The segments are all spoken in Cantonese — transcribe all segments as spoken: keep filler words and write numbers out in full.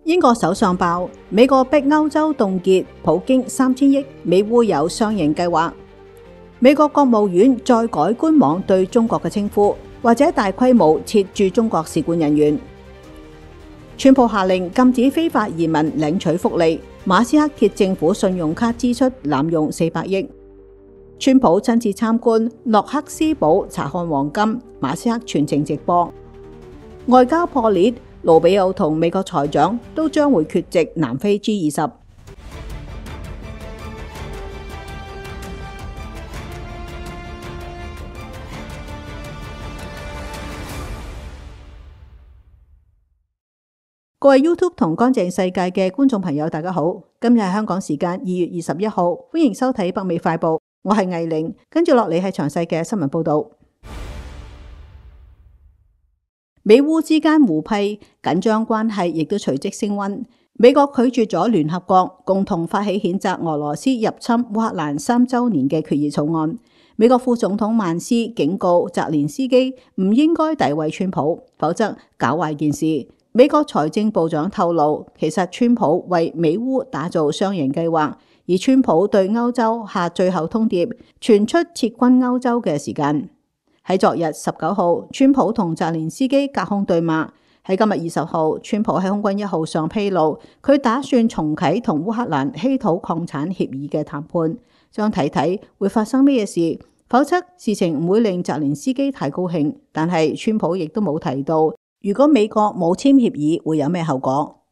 英國首相爆，美國逼歐洲凍結普京三千億，美烏有雙贏計劃。美國國務院再改官網對中國嘅稱呼，或者大規模撤駐中國使館人員。川普下令禁止非法移民領取福利，馬斯克揭政府信用卡支出濫用四百億。川普親自參觀諾克斯堡查看黃金，馬斯克全程直播。外交破裂，盧比奧同美國財長都將會缺席南非 G 二十。各位 YouTube 同乾淨世界嘅觀眾朋友，大家好，今日係香港時間二月二十一號，歡迎收睇北美快報，我係藝玲，跟住落嚟係詳細嘅新聞報道。美烏之間互批，緊張關係亦都隨即升溫。美國拒絕咗聯合國共同發起譴責俄羅斯入侵烏克蘭三週年嘅決議草案。美國副總統曼斯警告澤連斯基唔應該詆毀川普，否則搞壞件事。美國財政部長透露，其實川普為美烏打造雙贏計劃，而川普對歐洲下最後通牒，傳出撤軍歐洲嘅時間。喺昨日十九號，川普同澤連斯基隔空對罵。喺今日二十號，川普喺空軍一號上披露，佢打算重啟同烏克蘭稀土礦產協議嘅談判，將睇睇會發生咩事，否則事情唔會令澤連斯基太高興。但係川普亦都冇提到，如果美國冇簽協議會有咩後果。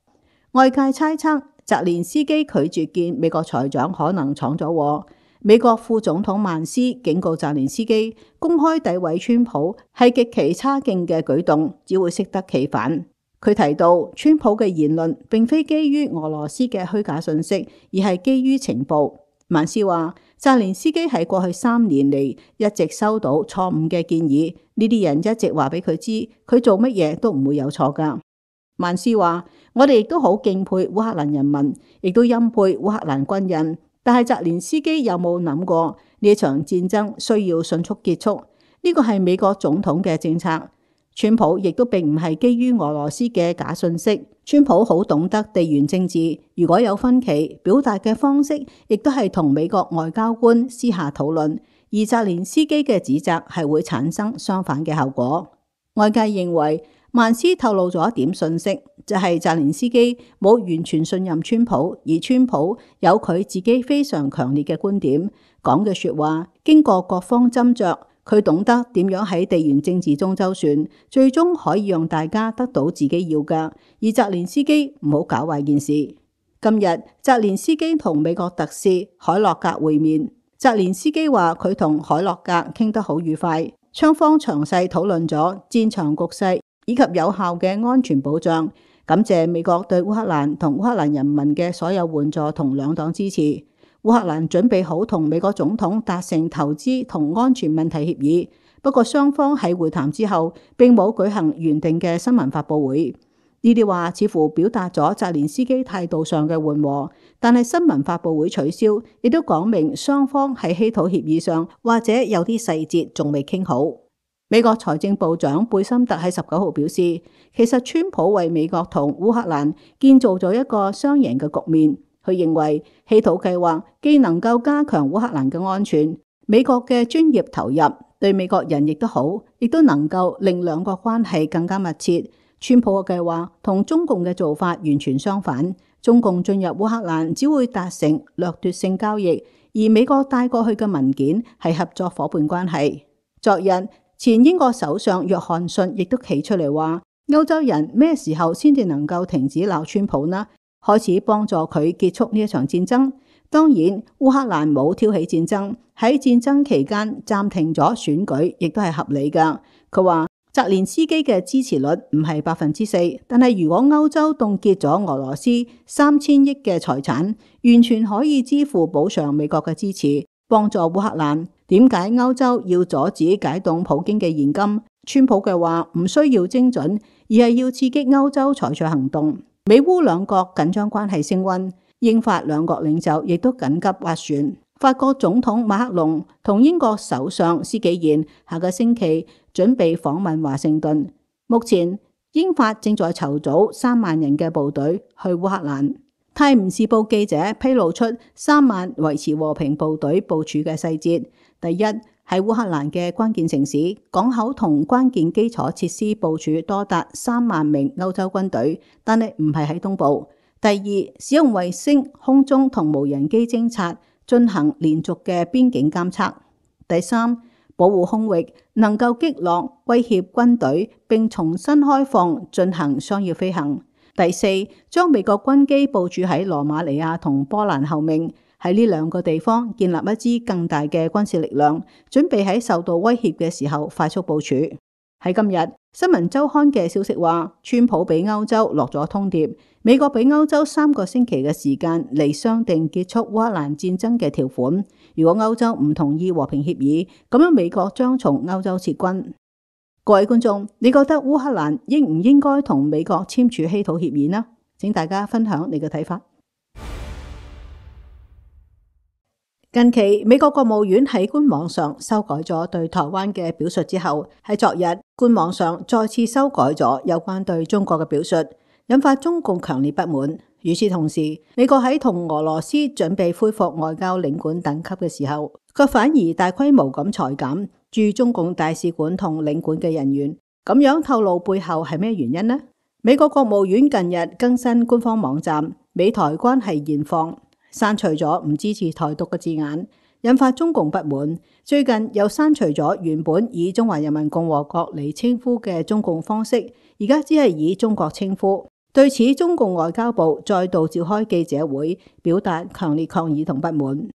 外界猜測澤連斯基拒絕見美國財長可能闖咗禍。美國副總統曼斯警告澤連斯基，公開詆毀川普係極其差勁嘅舉動，只會適得其反。佢提到，川普嘅言論並非基於俄羅斯嘅虛假信息，而係基於情報。曼斯話，澤連斯基喺過去三年嚟一直收到錯誤嘅建議，呢啲人一直話俾佢知，佢做乜嘢都唔會有錯㗎。曼斯話，我哋亦都好敬佩烏克蘭人民，亦都欽佩烏克蘭軍人。但係澤連斯基有冇諗過呢場戰爭需要迅速結束？呢個係美國總統嘅政策。川普亦都並唔係基於俄羅斯嘅假信息。川普好懂得地緣政治，如果有分歧，表達嘅方式亦都係同美國外交官私下討論。而澤連斯基嘅指責係會產生相反嘅後果。外界認為曼斯透露咗一點信息，就係澤連斯基冇完全信任川普，而川普有佢自己非常強烈嘅觀點，講嘅說話經過各方斟酌，佢懂得點樣喺地緣政治中周旋，最終可以讓大家得到自己要嘅。而澤連斯基唔好搞壞件事。今日澤連斯基同美國特使海洛格會面，澤連斯基話佢同海洛格傾得好愉快，雙方詳細討論咗戰場局勢以及有效嘅安全保障，感謝美國對烏克蘭同烏克蘭人民嘅所有援助同兩黨支持。烏克蘭準備好同美國總統達成投資同安全問題協議，不過雙方喺會談之後並冇舉行原定嘅新聞發佈會。呢啲話似乎表達咗澤連斯基態度上嘅緩和，但係新聞發佈會取消，亦都講明雙方喺稀土協議上或者有啲細節仲未傾好。美國財政部長貝森特喺十九號表示，其實川普為美國同烏克蘭建造咗一個雙贏嘅局面。佢認為稀土計劃既能夠加強烏克蘭嘅安全，美國嘅專業投入對美國人亦都好，亦都能夠令兩國關係更加密切。川普嘅計劃同中共嘅做法完全相反，中共進入烏克蘭只會達成掠奪性交易，而美國帶過去嘅文件係合作夥伴關係。昨日前英國首相約翰遜亦都企出嚟話，歐洲人咩時候先至能夠停止鬧川普呢？開始幫助佢結束呢一場戰爭。當然，烏克蘭冇挑起戰爭，喺戰爭期間暫停咗選舉，亦都係合理㗎。佢話澤連斯基嘅支持率唔係百分之四，但係如果歐洲凍結咗俄羅斯三千億嘅財產，完全可以支付補償美國嘅支持，幫助烏克蘭。點解歐洲要阻止解凍普京嘅現金？川普嘅話唔需要精準，而係要刺激歐洲採取行動。美烏兩國緊張關係升溫，英法兩國領袖亦都緊急斡旋。法國總統馬克龍同英國首相施紀賢下個星期準備訪問華盛頓。目前英法正在籌組三萬人嘅部隊去烏克蘭。泰晤士報記者披露出三萬維持和平部隊部署嘅細節。第一，喺烏克蘭嘅關鍵城市、港口同關鍵基礎設施部署多達三萬名歐洲軍隊，但係唔係喺東部。第二，使用衛星、空中同無人機偵察，進行連續嘅邊境監測。第三，保護空域，能夠擊落威脅軍隊並重新開放進行商業飛行。第四，將美國軍機部署喺羅馬尼亞同波蘭後面，喺呢兩個地方建立一支更大嘅軍事力量，準備喺受到威脅嘅時候快速部署。喺今日，新聞週刊嘅消息話，川普俾歐洲落咗通牒，美國俾歐洲三個星期嘅時間嚟商定結束烏克蘭戰爭嘅條款。如果歐洲唔同意和平協議，咁樣美國將從歐洲撤軍。各位觀眾，你覺得烏克蘭應唔應該同美國簽署稀土協議呢？請大家分享你嘅睇法。近期美國國務院喺官網上修改咗對台灣嘅表述之後，喺昨日官網上再次修改咗有關對中國嘅表述，引發中共強烈不滿。與此同時，美國喺同俄羅斯準備恢復外交領館等級嘅時候，卻反而大規模咁裁減駐中共大使館同領館嘅人員，咁樣透露背後係咩原因呢？美國國務院近日更新官方網站美台關係現況，刪除咗唔支持台獨嘅字眼，引發中共不滿。最近又刪除咗原本以中華人民共和國嚟稱呼嘅中共方式，而家只係以中國稱呼。對此，中共外交部再度召開記者會，表達強烈抗議同不滿。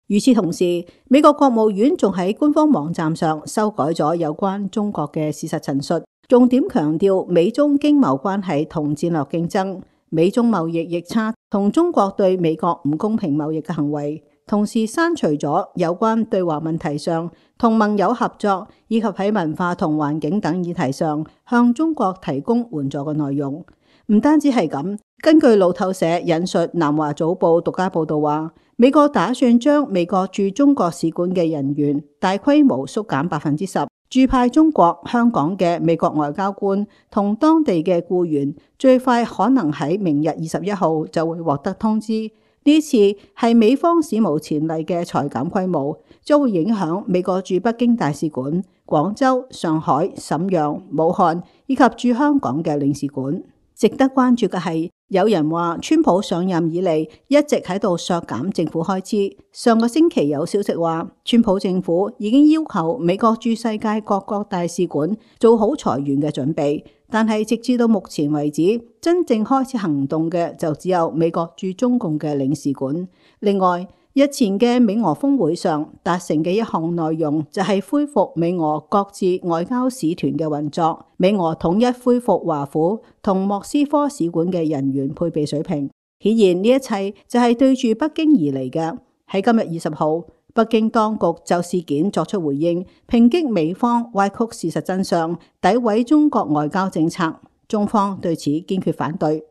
與此同時，美國國務院仲喺官方網站上修改咗有關中國嘅事實陳述，重點強調美中經貿關係同戰略競爭、美中貿易逆差同中國對美國唔公平貿易嘅行為，同時刪除咗有關對華問題上同盟友合作以及喺文化同環境等議題上向中國提供援助嘅內容。唔單止係咁，根據路透社引述南華早報獨家報道話，美國打算將美國駐中國使館嘅人員大規模縮減百分之十，駐派中國香港嘅美國外交官同當地嘅僱員，最快可能喺明日二十一號就會獲得通知。呢次係美方史無前例嘅裁減規模，將會影響美國駐北京大使館、廣州、上海、瀋陽、武漢以及駐香港嘅領事館。值得關注嘅係，有人話川普上任以嚟一直喺度削減政府開支。上個星期有消息話，川普政府已經要求美國駐世界各國大使館做好裁員嘅準備，但係直至到目前為止，真正開始行動嘅就只有美國駐中共嘅領事館。另外，日前嘅美俄峰會上達成嘅一項內容就係恢復美俄各自外交使團嘅運作，美俄統一恢復華府同莫斯科使館嘅人員配備水平。顯然呢一切就係對住北京而嚟嘅。喺今日二十號，北京當局就事件作出回應，抨擊美方歪曲事實真相，詆毀中國外交政策。中方對此堅決反對。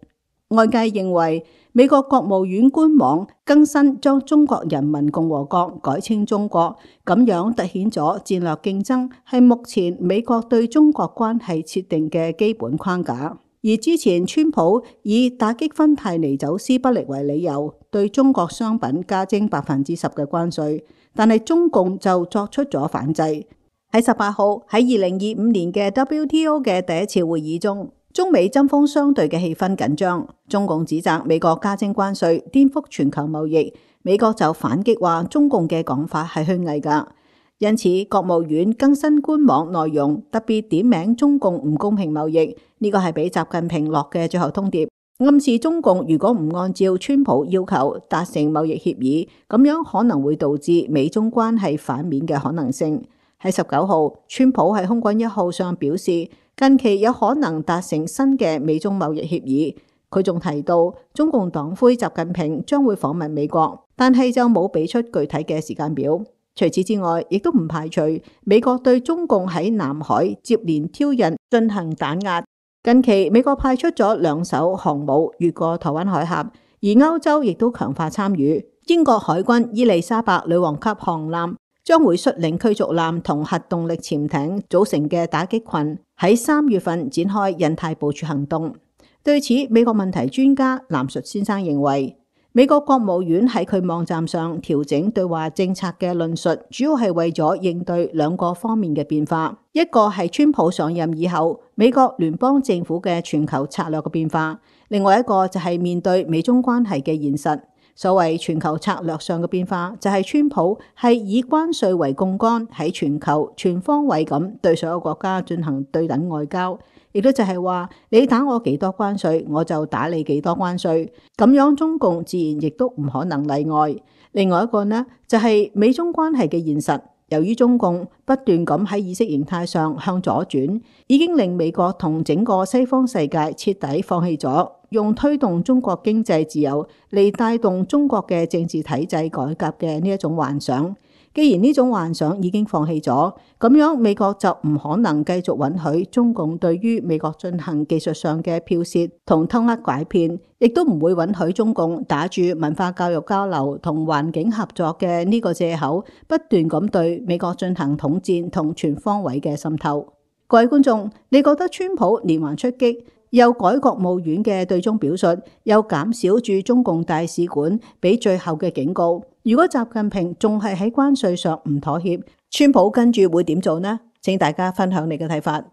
外界認為，美國國務院官網更新將中國人民共和國改稱中國，咁樣凸顯咗戰略競爭係目前美國對中國關係設定嘅基本框架。而之前川普以打擊芬太尼走私不力為理由，對中國商品加徵百分之十嘅關稅，但係中共就作出咗反制。喺十八號喺二零二五年嘅 W T O 嘅第一次會議中，中美針鋒相對嘅氣氛緊張，中共指責美國加徵關稅顛覆全球貿易，美國就反擊話中共嘅講法係虛偽㗎。因此，國務院更新官網內容，特別點名中共唔公平貿易，呢個係俾習近平落嘅最後通牒，暗示中共如果唔按照川普要求達成貿易協議，咁樣可能會導致美中關係反面嘅可能性。喺十九號，川普喺空軍一號上表示，近期有可能達成新嘅美中貿易協議。佢仲提到，中共黨魁習近平將會訪問美國，但係就冇俾出具體嘅時間表。除此之外，亦都唔排除美國對中共喺南海接連挑釁進行打壓。近期美國派出咗兩艘航母越過台灣海峽，而歐洲亦都強化參與。英國海軍伊麗莎白女王級航艦將會率領驅逐艦同核動力潛艇組成嘅打擊群喺三月份展開印太部署行動。對此，美國問題專家藍述先生認為，美國國務院喺佢網站上調整對華政策嘅論述，主要係為咗應對兩個方面嘅變化，一個係川普上任以後美國聯邦政府嘅全球策略嘅變化，另外一個就係面對美中關係嘅現實。所謂全球策略上嘅變化，就係川普係以關稅為槓桿，喺全球全方位咁對所有國家進行對等外交，亦都就係話你打我幾多關稅，我就打你幾多關稅。咁樣中共自然亦都唔可能例外。另外一個呢，就係美中關係嘅現實。由於中共不斷咁喺意識形態上向左轉，已經令美國同整個西方世界徹底放棄咗用推動中國經濟自由嚟帶動中國嘅政治體制改革嘅呢一種幻想。既然呢種幻想已經放棄咗，咁樣美國就唔可能繼續允許中共對於美國進行技術上嘅剽竊同偷呃拐騙，亦都唔會允許中共打住文化教育交流同環境合作嘅呢個借口，不斷咁對美國進行統戰同全方位嘅滲透。各位觀眾，你覺得川普連環出擊，又改國務院嘅對中表述，又減少駐中共大使館俾最後嘅警告，如果習近平仲係喺關稅上唔妥協，川普跟住會點做呢？請大家分享你嘅睇法。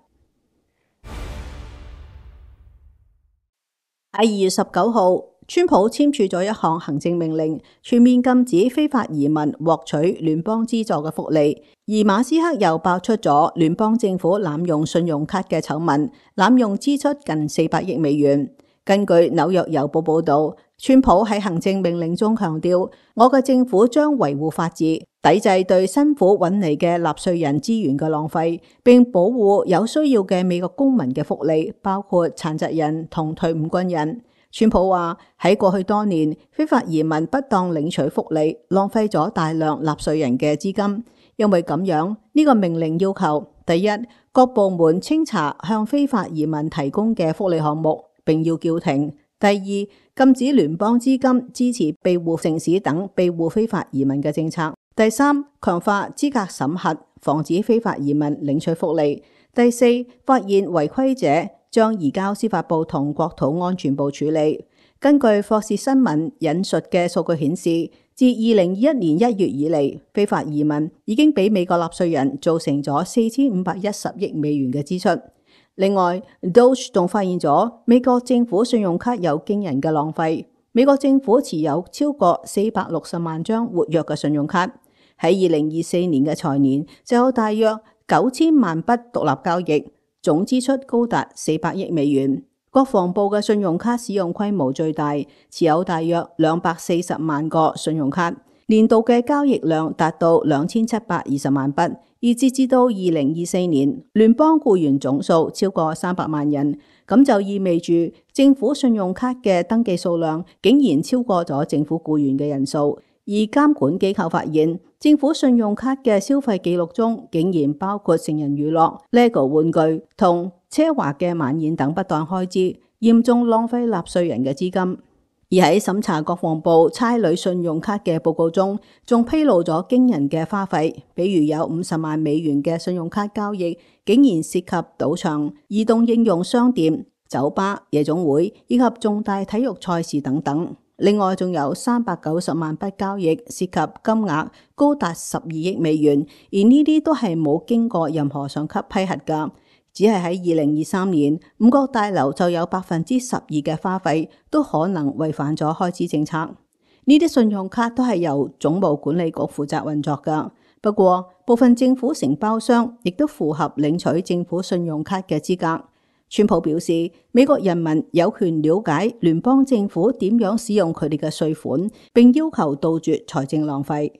喺二月十九號，川普簽署咗一項行政命令，全面禁止非法移民獲取聯邦資助嘅福利。而馬斯克又爆出咗聯邦政府濫用信用卡嘅醜聞，濫用支出近四百億美元。根據紐約郵報報道，川普喺行政命令中強調，我嘅政府將維護法治，抵制對辛苦揾嚟嘅納稅人資源嘅浪費，並保護有需要嘅美國公民嘅福利，包括殘疾人同退伍軍人。川普話喺過去多年，非法移民不當領取福利，浪費咗大量納稅人嘅資金。因為咁樣，呢個命令要求：第一，各部門清查向非法移民提供嘅福利項目，並要叫停；第二，禁止聯邦資金支持庇護城市等庇護非法移民嘅政策；第三，強化資格審核，防止非法移民領取福利；第四，發現違規者將移交司法部同國土安全部處理。根據霍士新聞引述嘅數據顯示，自二零二一年一月以嚟，非法移民已經俾美國納稅人造成咗四千五百一十億美元嘅支出。另外 ，Doge 仲發現咗美國政府信用卡有驚人嘅浪費。美國政府持有超過四百六十萬張活躍嘅信用卡，喺二零二四年嘅財年就有大約九千萬筆獨立交易，總支出高達四百億美元。國防部嘅信用卡使用規模最大，持有大約兩百四十萬個信用卡，年度嘅交易量達到兩千七百二十萬筆。而截至到二零二四年，聯邦僱員總數超過三百萬人，咁就意味住政府信用卡嘅登記數量竟然超過咗政府僱員嘅人數。而監管機構發現，政府信用卡嘅消費記錄中竟然包括成人娛樂、LEGO 玩具同奢華嘅晚宴等不當開支，嚴重浪費納稅人嘅資金。而喺審查國防部差旅信用卡嘅報告中，仲披露咗驚人嘅花費，比如有五十萬美元嘅信用卡交易，竟然涉及賭場、移動應用商店、酒吧、夜總會以及重大體育賽事等等。另外仲有三百九十萬筆交易，涉及金額高達十二億美元，而呢啲都係冇經過任何上級批核㗎。只係喺二零二三年，五角大樓就有百分之十二嘅花費都可能違反咗開支政策。呢啲信用卡都係由總務管理局負責運作㗎。不過，部分政府承包商亦都符合領取政府信用卡嘅資格。川普表示，美國人民有權了解聯邦政府點樣使用佢哋嘅稅款，並要求杜絕財政浪費。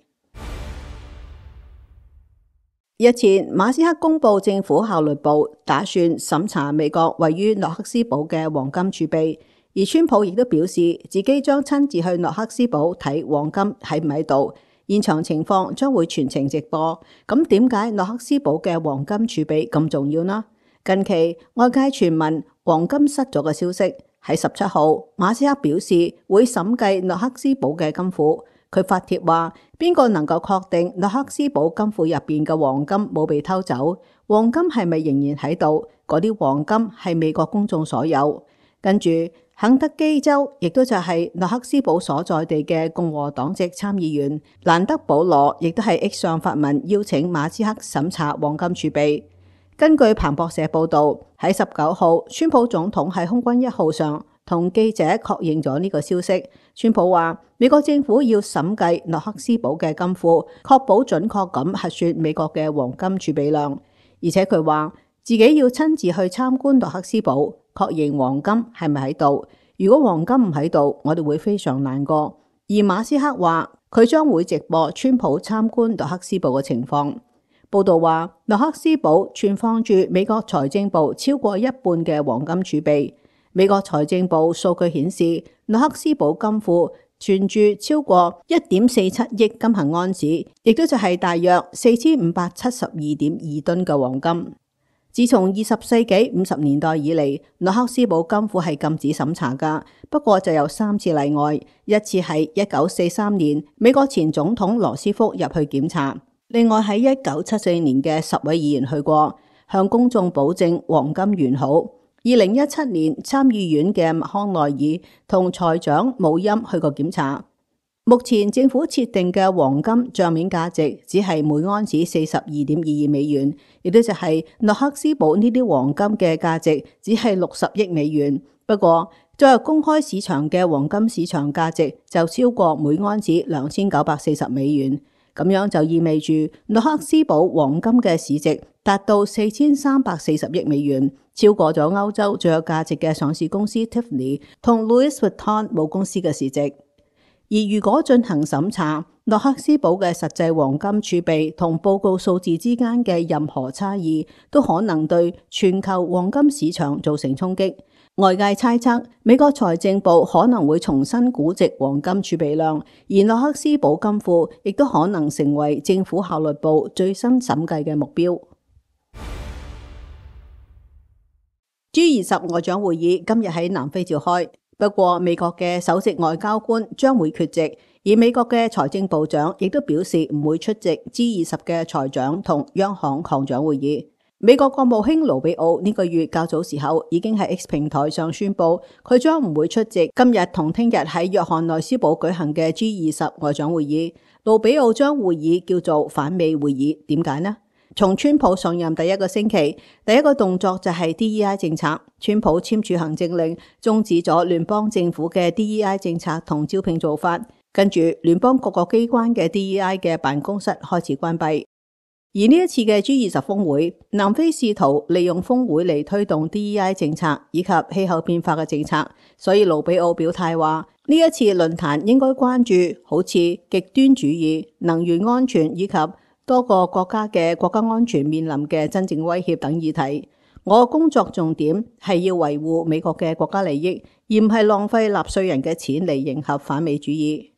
日前，馬斯克公布政府效率部打算審查美國位於諾克斯堡嘅黃金儲備，而川普亦都表示自己將親自去諾克斯堡睇黃金喺唔喺度，現場情況將會全程直播。咁點解諾克斯堡嘅黃金儲備咁重要呢？近期外界傳聞黃金失咗嘅消息，喺十七號，馬斯克表示會審計諾克斯堡嘅金庫。佢發帖話：邊個能夠確定諾克斯堡金庫入邊嘅黃金冇被偷走？黃金係咪仍然喺度？嗰啲黃金係美國公眾所有。跟住，肯德基州亦都就係諾克斯堡所在地嘅共和黨籍參議員蘭德保羅，亦都係 X 上發文邀請馬斯克審查黃金儲備。根據彭博社報導，喺十九號，川普總統喺空軍一號上同記者確認咗呢個消息。川普話：美國政府要審計諾克斯堡嘅金庫，確保準確咁核算美國嘅黃金儲備量。而且佢話自己要親自去參觀諾克斯堡，確認黃金係咪喺度。如果黃金唔喺度，我哋會非常難過。而馬斯克話佢將會直播川普參觀諾克斯堡嘅情況。報道話，諾克斯堡存放住美國財政部超過一半嘅黃金儲備。美國財政部數據顯示，諾克斯堡金庫存住超過一點四七億金恆安士，亦都就係大約四千五百七十二點二噸嘅黃金。自從二十世紀五十年代以嚟，諾克斯堡金庫係禁止審查㗎。不過就有三次例外，一次係一九四三年美國前總統羅斯福入去檢查。另外喺一九七四年嘅十位議員去過，向公眾保證黃金完好。二零一七年參議院嘅麥康奈爾同財長姆欽去過檢查。目前政府設定嘅黃金賬面價值只係每盎司四十二點二二美元，亦都就係諾克斯堡呢啲黃金嘅價值只係六十億美元。不過作為公開市場嘅黃金市場價值就超過每盎司兩千九百四十美元。咁樣就意味住諾克斯堡黃金嘅市值達到四千三百四十億美元，超過咗歐洲最有價值嘅上市公司 Tiffany 同 Louis Vuitton 母公司嘅市值。而如果進行審查，諾克斯堡嘅實際黃金儲備同報告數字之間嘅任何差異，都可能對全球黃金市場造成衝擊。外界猜測，美國財政部可能會重新估值黃金儲備量，而諾克斯堡金庫亦都可能成為政府效率部最新審計嘅目標。G 二十外長會議今日喺南非召開，不過美國嘅首席外交官將會缺席，而美國嘅財政部長亦都表示唔會出席 G 二十嘅財長同央行行長會議。美國國務卿盧比奧呢個月較早時候已經喺 X 平台上宣布，佢將唔會出席今日同聽日喺約翰內斯堡舉行嘅 G 二十外長會議。盧比奧將會議叫做反美會議，點解呢？從川普上任第一個星期，第一個動作就係 D E I 政策，川普簽署行政令終止咗聯邦政府嘅 D E I 政策同招聘做法，跟住聯邦各個機關嘅 D E I 嘅辦公室開始關閉。而呢一次嘅 G 二十峰會，南非試圖利用峰會嚟推動 D E I 政策以及氣候變化嘅政策，所以盧比奧表態話，呢一次論壇應該關注好似極端主義、能源安全以及多個國家嘅國家安全面臨嘅真正威脅等議題。我嘅工作重點係要維護美國嘅國家利益，而唔係浪費納稅人嘅錢嚟迎合反美主義。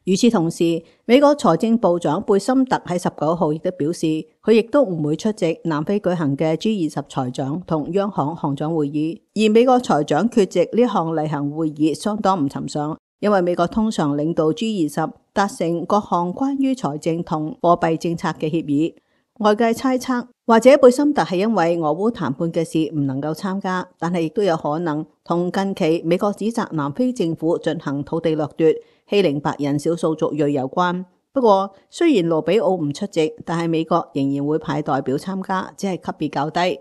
與此同時，美國財政部長貝森特喺十九號亦都表示，佢亦都唔會出席南非舉行嘅 G 二十財長同央行行長會議。而美國財長缺席呢項例行會議相當唔尋常，因為美國通常領導 G 二十達成各項關於財政同貨幣政策嘅協議。外界猜測，或者貝森特係因為俄烏談判嘅事唔能夠參加，但係亦都有可能同近期美國指責南非政府進行土地掠奪、欺凌白人少數族裔有關。不過雖然盧比奧唔出席，但係美國仍然會派代表參加，只係級別較低。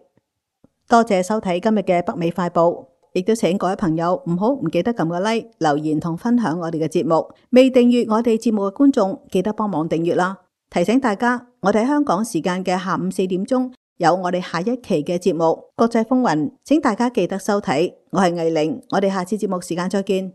多謝收睇今日嘅北美快報，亦都請各位朋友唔好唔記得撳個 like、留言同分享我哋嘅節目。未訂閱我哋節目嘅觀眾，記得幫忙訂閱啦。提醒大家，我哋喺香港時間嘅下午四點鐘有我哋下一期嘅節目《國際風雲》，請大家記得收睇。我係藝玲，我哋下次節目時間再見。